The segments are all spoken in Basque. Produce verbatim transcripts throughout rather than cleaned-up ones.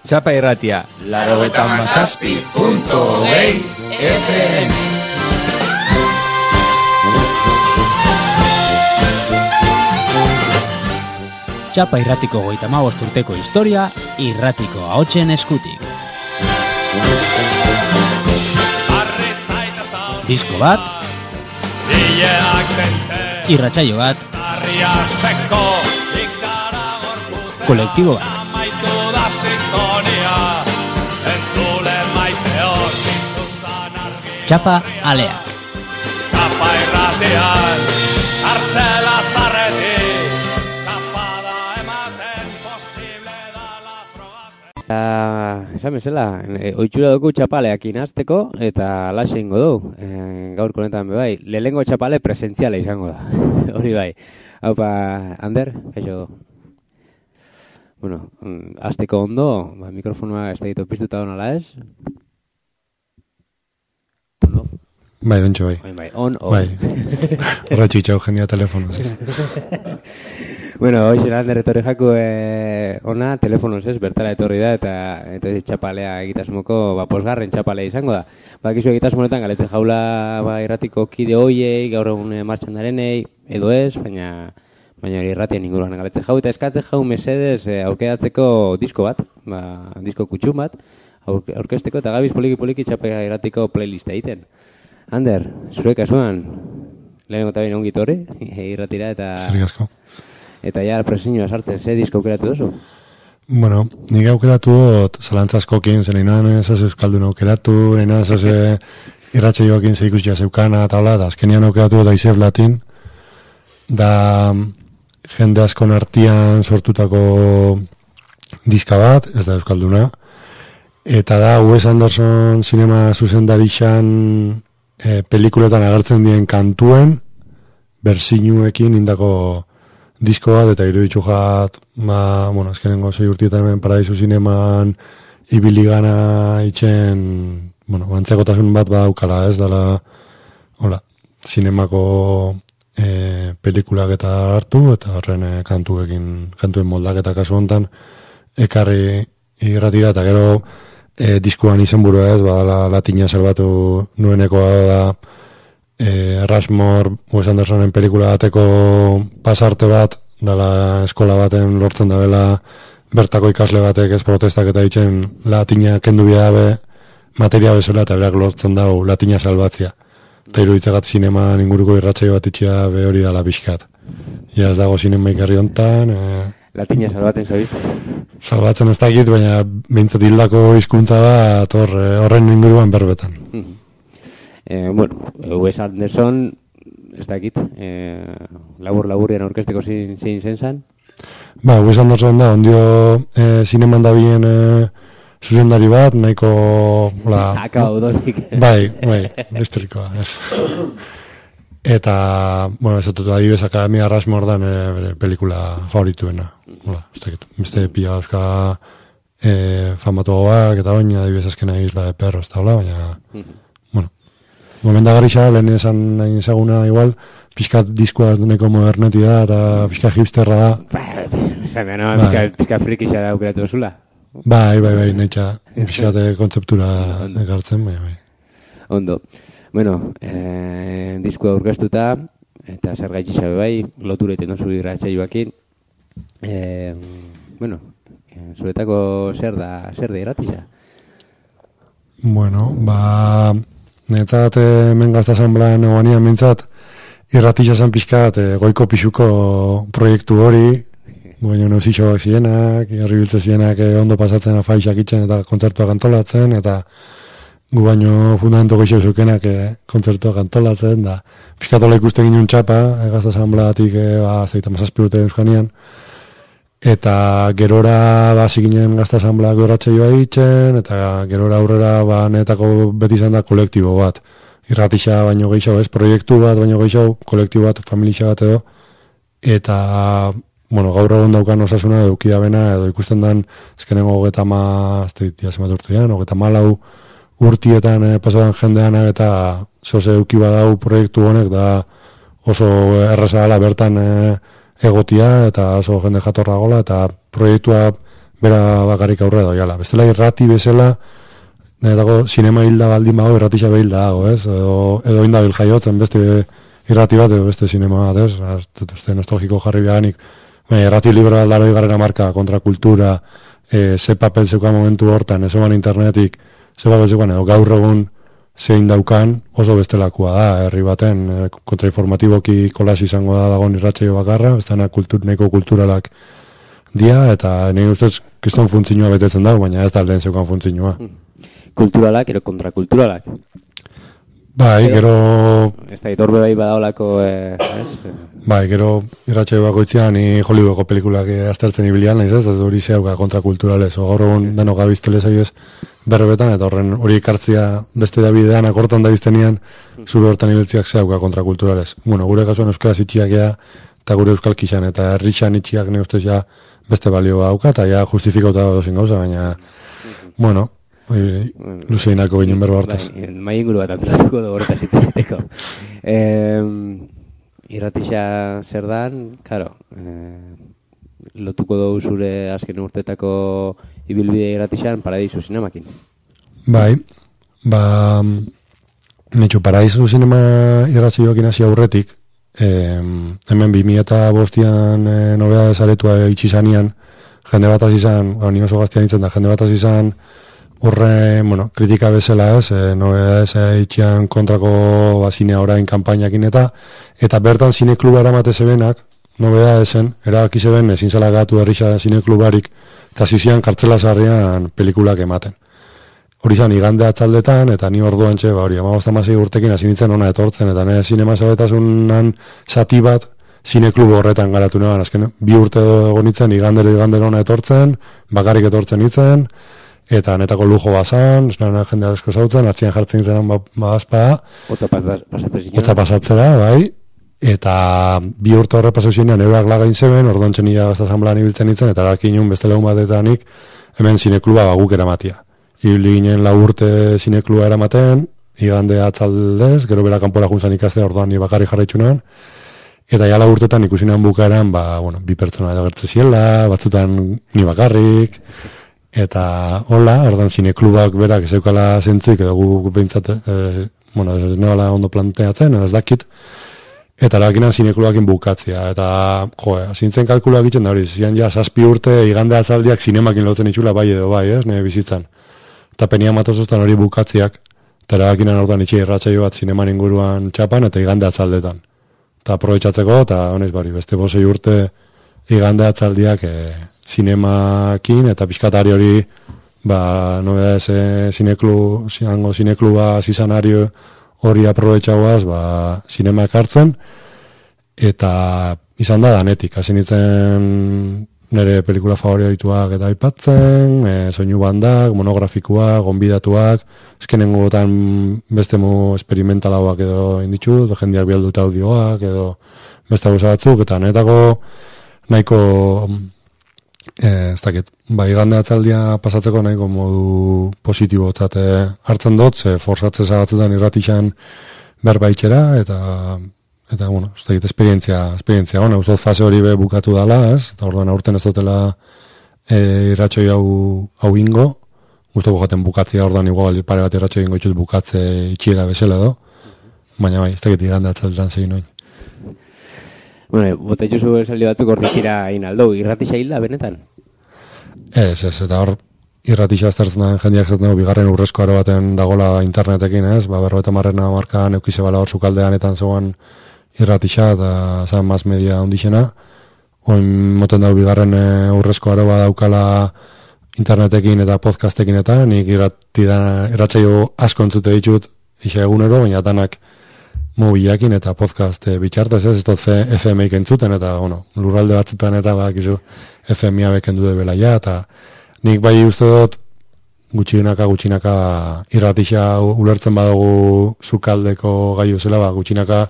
Txapa irratia, laurogeita hamazazpi puntu hogei F M. Txapa irratiko hogeita hamabost urteko historia, irratiko ahotsen eskutik. Disko bat, irratsaio bat, kolektibo bat. Txapa aleak. Txapa irratean, hartzela zarretik, txapada ematen posible dala frogatzen. Esan bezala, oitxura dugu txapaleak inazteko eta laxe ingo du. E, gaur konetan bebai, lehengo txapale presentziala izango da. Hori bai. Haupa, Ander, eixo. Bueno, azteko ondo, ba, mikrofonoa ez da ditu piztuta honala ez? On, off? Bai, dontxo bai. Bai, bai, on, off. Bai, horretxik txau jendia telefonoz. Bueno, hoxe Ander etorri jaku eh, ona, telefonoz ez, bertara etorri da, eta, eta txapalea egitasmoko, ba, posgarren txapalea izango da. Ba, kizu egitasmonetan galetzen jaula ba, irratiko kide hoiei, gaur egun martxan darenei, edo ez, baina... Baina hori irratian inguruan galetzen jau, eta eskatzen jau mesedez eh, aukeratzeko disko bat, ba, disko kutxun bat, aurkezteko eta gabiz poliki-poliki txapea irratiko playlista egiten. Ander, zure kasuan, lehenengo eta baina ongit hori, irratira eta... Zerrik asko. Eta ja presiñoa sartzen, ze disko aukeratu duzu? Bueno, nik aukeratu dut zalantzazkokin, zen inan ez euskaldun aukeratu, inan ez irratsaioekin ze ikusia zeukana eta hola, da azkenian aukeratu dut Aizef Latin, da jende askon artean sortutako diska bat, ez da euskalduna, eta da Wes Anderson sinema zuzendarixan e, pelikuletan agertzen dien kantuen bersinuekin indako disko bat, eta iruditzu jat, ba, bueno, azkenengo zei urtietan hemen Paradisu Zineman ibili gana itxen, bueno, antzekotasun bat badaukala, ez dala, hola, zinemako E, pelikulak eta hartu, eta horren e, kantuekin, kantuen moldaketa kasu hontan ekarri irratira, eta gero e, diskuan izenburua ez, badala latina salbatu nuenekoa da e, Rushmore, Wes Andersonen pelikula bateko pasarte bat, dala eskola baten lortzen da bela bertako ikasle batek ez protestak eta ditzen latina kendu bidabe materia bezala, eta berak lortzen dago latina salbatzia. Eta iruditzagat zineman inguruko irratsaio bat itxea be hori dala pixkat. Ja ez dago zinema ikarri hontan. E... Latina salbatzen zabizte? Salbatzen ez dakit, baina behintzat hildako hizkuntza da horren inguruan berbetan. Mm-hmm. eh, bueno, Wes Anderson, ez dakit, eh, labur-laburrian aurkezteko zein zen zan? Ba, Wes Anderson da, ondio eh, zineman da bien... Eh, zuzendari bat, nahiko... Akaba udonik. Bai, bai, estrikoa, ez. Eta, bueno, ez dut, adibes Akademia Rushmore da nire pelikula favorituena. Hola, ez dakit, beste pila euska e, famatuagoak eta oin, adibes azkena Isla de Perros eta hola, baina, bueno, momenta garrixa, lehen esan nahi ezaguna igual, pixkat diskoa neko moderneti da, eta pixkat hipsterra da. Esan behar, no, pixkat frikixa da aukeratu zula. Bai, bai, bai, nahi txa, pixkate kontzeptura egartzen, bai, bai. Ondo. Bueno, eh, diskoa aurkeztuta, eta zer gaitxisa bai, lotureten oso irratsaioakin. Eh, bueno, zuretako zer da, zer da irratisa? Bueno, ba, netzat hemen gaztazan blan eguanian mintzat, irratisa zan pixkat, goiko pixuko proiektu hori, baina neuzitxoak zienak, herribiltze zienak ondo pasatzen afaixak itxen eta kontzertuak antolatzen, eta gu baino fundamento goixo zukenak kontzertuak antolatzen, da pixkatola ikusten ginen txapa, egazta zanblatik ba, zeita mazazpirute euskanian, eta gerora ba, ziginen gazta zanblak gorratxeioa itxen, eta gerora aurrera ba, netako beti izan da kolektibo bat, irratisa baino gehiago ez, proiektu bat baino gehiago, kolektibo bat, familia bat edo, eta bueno, gaur egon daukan osasuna edukia bena, edo ikusten dan, ezkenengo hogeta ma, ez da zemat urtean, hogeta malau urtietan eh, pasadan jendeanak eta zoze eduki badau proiektu honek, da oso erraza dela bertan eh, egotia eta oso jende jatorra gola eta proiektua bera bakarrik aurre doiala. Bestela irrati bezala, dago sinema hilda baldin bago, irratisa behilda dago, ez? Edo, edo indabil jaiotzen beste irrati bat, edo beste sinema bat, ez? Aztut uste nostalgiko jarri behanik. Baina, irrati libro aldaro igarrera marka, kontrakultura, e, ze papel zeukan momentu hortan, ez oman internetik, ze papel zeukan, edo gaur egun zein daukan, oso bestelakua da, herri baten, e, kontrainformatiboki kolas izango da dagoen irratsaio bakarra, bestana kultur, neko kulturalak dia, eta nire ustez kriston funtzinua betetzen dago, baina ez da lehen zeukan funtzinua. Kulturalak, ero kontrakulturalak. Bai, gero... Ez da, itorbe bai badaolako, eh, ez? Bai, gero irratsaio bakoitzean ni Hollywoodeko pelikulak aztertzen ibilian, naiz ez, ez hori zeuka kontrakulturalez, o gaur egun deno gabiztele zaioz berbetan, eta horren hori ikartzia beste da bidean akortan da biztenian, zure hortan ibiltziak zeuka kontrakulturalez. Bueno, gure kasuan euskaraz itxiak ea, eta gure euskal kixan, eta herrixan itxiak ne ustez ja beste balioa dauka, eta ja justifikauta dozin gauza, baina, bueno, luzeinako ginen berba hortaz. Bai, mai inguru bat antolatuko dugu hortaz itzeteko. Eh, irratisa zer dan, karo, eh, lotuko dugu zure azken urtetako ibilbide irratixan Paradisu Zinemakin. Bai, ba, netxo, Paradisu Zinema irratxioekin hasi aurretik, eh, hemen bi mila eta bostian eh, nobeda desaretua itxizanean, jende bat azizan, ni oso gaztian itzen da, jende bat azizan, horre, bueno, kritika bezala ez, e, nobedades itxian kontrako ba, zinea orain kanpainakin eta, eta bertan zinekluba eramate zebenak, nobedadesen, erabaki zeben ezin zela gatu herrixa zineklubarik, eta zizian kartzela zarrian pelikulak ematen. Hori zan, igande atzaldetan, eta ni orduan txe, ba hori, amagozta masei urtekin hasi nintzen ona etortzen, eta nire zinema zaletasunan zati bat, zineklubo horretan garatu neban, azken, bi urte egon nintzen, igandero igandero ona etortzen, bakarrik etortzen nintzen, eta netako lujo bazan, esnaren jende asko zautzen, atzian jartzen zenan bazpa, Otza pasatzen Otza pasatzera, bai, eta bi urte horre pasauzinean eurak lagain zeben, orduan txenia gazta zanblan ibiltzen nintzen, eta erakin nun beste legun batetanik, hemen zinekluba baguk eramatia. Ibili ginen lau urte zinekluba eramaten, igande atzaldez, gero bera kanpora juntzan ikaste, orduan ni bakarri jarraitzunan, eta ja lau urtetan ikusinan bukaeran, ba, bueno, bi pertsona edo gertze ziela, batzutan ni bakarrik, eta hola, ordan zineklubak berak ez eukala zentzuik, edo gu behintzat, e, bueno, ez nebala ondo planteatzen, ez dakit, eta erakinan zineklubakin bukatzea, eta, jo, zintzen kalkulua egiten da hori, zian ja, zazpi urte igande atzaldiak zinemakin lotzen itxula bai edo bai, ez, nire bizitzan. Eta penia matozostan hori bukatziak, eta erakinan ordan itxe irratsaio bat zineman inguruan txapan, eta igande atzaldetan. Eta aprobetxatzeko, eta honez bari, beste bosei urte igande atzaldiak, e, zinemakin, eta pixkatari hori, ba, nobedades e, zineklu, zinango zinekluba zizanario hori aprobetxauaz, ba, zinema ekartzen, eta izan da danetik, hasi nintzen nire pelikula favorituak eta aipatzen, e, soinu bandak, monografikuak, gonbidatuak, eskenengotan beste mu experimentalauak edo inditxut, jendeak bialduta audioak, edo beste gauza batzuk, eta netako nahiko, eh, ez dakit, bai igande atzaldia pasatzeko nahiko modu positibo zate hartzen dut, ze forsatze zagatzutan irratixan berbaitxera, eta eta, bueno, ez dakit, esperientzia, esperientzia, ona, uste fase hori be bukatu dala, ez, eta orduan aurten ez dutela e, irratxoi hau, hau ingo, guztoko jaten bukatzea, orduan igual pare bat irratxoi ingo itxut bukatze itxiera bezala do, baina bai, ez dakit igande atzaldetan zegin noin. Bueno, bota itxuzu esaldi batzuk hortikira inaldo, irratixa hilda, benetan? Ez, ez, eta hor, irratixa aztertzen da jendeak zaten dugu, bigarren urrezko aro baten dagola internetekin, ez, ba, berro eta marrena markaan eukize bala hor sukaldeanetan zegoen irratixa, eta zan maz media ondixena, oin moten dago bigarren e, urrezko aro bat daukala internetekin eta podcastekin eta, nik irratxaio asko entzute ditut, isa egunero, baina danak mobilakin eta podcast e, bitxartez, ez, ez dut F M-ik entzuten, eta, bueno, lurralde batzutan eta bakizu F M-a bekendu de belaia, eta nik bai uste dut gutxinaka, gutxinaka irratixa ulertzen badugu sukaldeko gaiu zela, ba, gutxinaka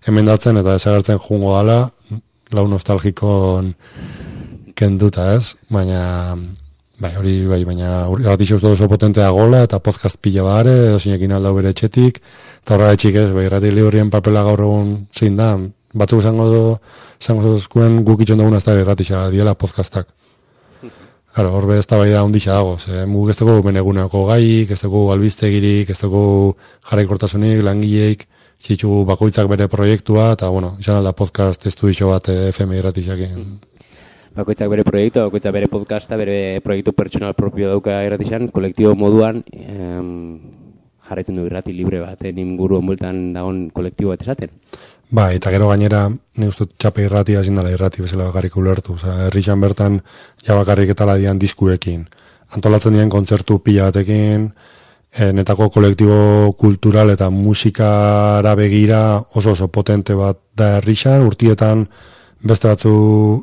emendatzen eta desagertzen jungo dala, lau nostalgikon kenduta, ez? Baina, bai, hori, bai, baina irratixa uste oso potentea gola eta podcast pila bare, edo zinekin aldau bere etxetik, eta horra etxik ez, bai, irrati liburien papela gaur egun zein da, batzuk izango izango zuzkuen guk itxon dugun azta irratisa diela podcastak. Claro, horbe ez da bai da ondisa dago, ze muguk ez dugu beneguneko gaik, ez dugu albistegirik, ez dugu jarraikortasunik, langileik, txitxu bakoitzak bere proiektua, eta, bueno, izan alda podcast estudio bat F M irratisakin. Bakoitzak bere proiektu, bakoitzak bere podcasta, bere proiektu pertsonal propio dauka irratixan, kolektibo moduan em, jarraitzen du irrati libre bat, inguru onbultan dagoen kolektibo bat esaten. Ba, eta gero gainera, ne uste txape irratia ezin dela irrati bezala bakarrik ulertu. Osa, herrixan bertan, ja bakarrik etala dian diskuekin. Antolatzen dian kontzertu pila batekin, e, netako kolektibo kultural eta musikara begira oso oso potente bat da herrixan, urtietan beste batzu,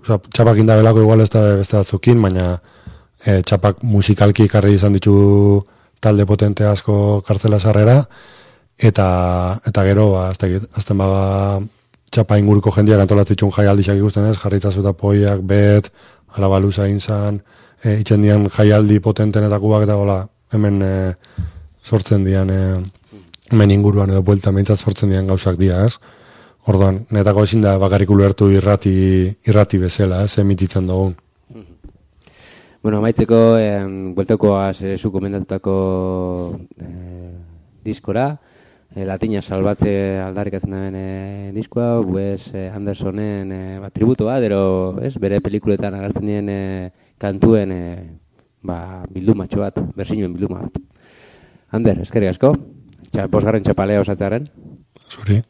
oza, txapak indabelako igual ez da beste batzukin, baina e, txapak musikalki ekarri izan ditu talde potente asko kartzela sarrera, eta eta gero, ba, azten baga txapa inguruko jendiak antolatzitxun jaialdixak ikusten ez, jarritzazu eta poiak, bet, alabaluza inzan, e, itxen dian jaialdi potentenetakoak eta gola, hemen e, sortzen dian, e, hemen inguruan edo buelta meintzat sortzen dian gauzak dia, ez? Orduan, netako ezin da bakarrik ulertu irrati, irrati bezala, ez, emititzen dugun. Bueno, amaitzeko, eh, bueltakoaz eh, zu komentatutako eh, diskora, eh, Latina salbatze aldarrikatzen duen eh, diskoa, Wes eh, Andersonen eh, ba, tributo bat, ero, ez, bere pelikuletan agertzen dien eh, kantuen eh, ba, bildumatxo bat, bersinuen bilduma bat. Ander, eskerrik asko, Txa, bosgarren txapalea osatzearen. Zuri.